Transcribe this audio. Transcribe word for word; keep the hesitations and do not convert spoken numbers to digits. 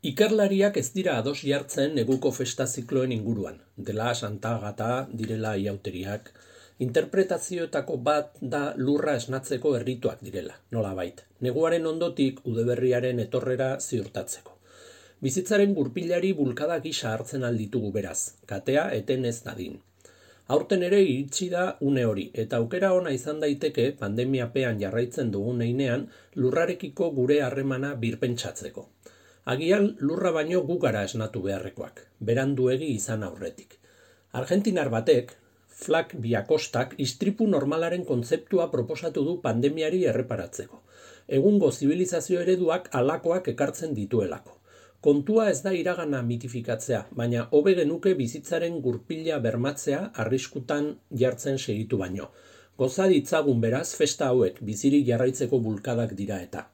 Ikerlariak ez dira ados jartzen neguko festa zikloen inguruan. Dela Santa Agata, direla iauteriak. Interpretazioetako bat da lurra esnatzeko errituak direla, nolabait. Neguaren ondotik udeberriaren etorrera ziurtatzeko. Bizitzaren gurpilari bulkada gisa hartzen alditugu beraz, katea eten ez dadin. Aurten ere iritsi da une hori, eta aukera ona izan daiteke pandemiapean jarraitzen dugun heinean lurrarekiko gure harremana birpentsatzeko. Agian lurra baino gu gara esnatu beharrekoak, beranduegi izan aurretik. Argentinar batek, Flak Biakostak, istripu normalaren kontzeptua proposatu du pandemiari erreparatzeko. Egungo zibilizazio ereduak halakoak ekartzen dituelako. Kontua ez da iragana mitifikatzea, baina hobe genuke bizitzaren gurpila bermatzea arriskutan jartzen segitu baino. Goza ditzagun beraz festa hauek bizirik jarraitzeko bulkadak dira eta.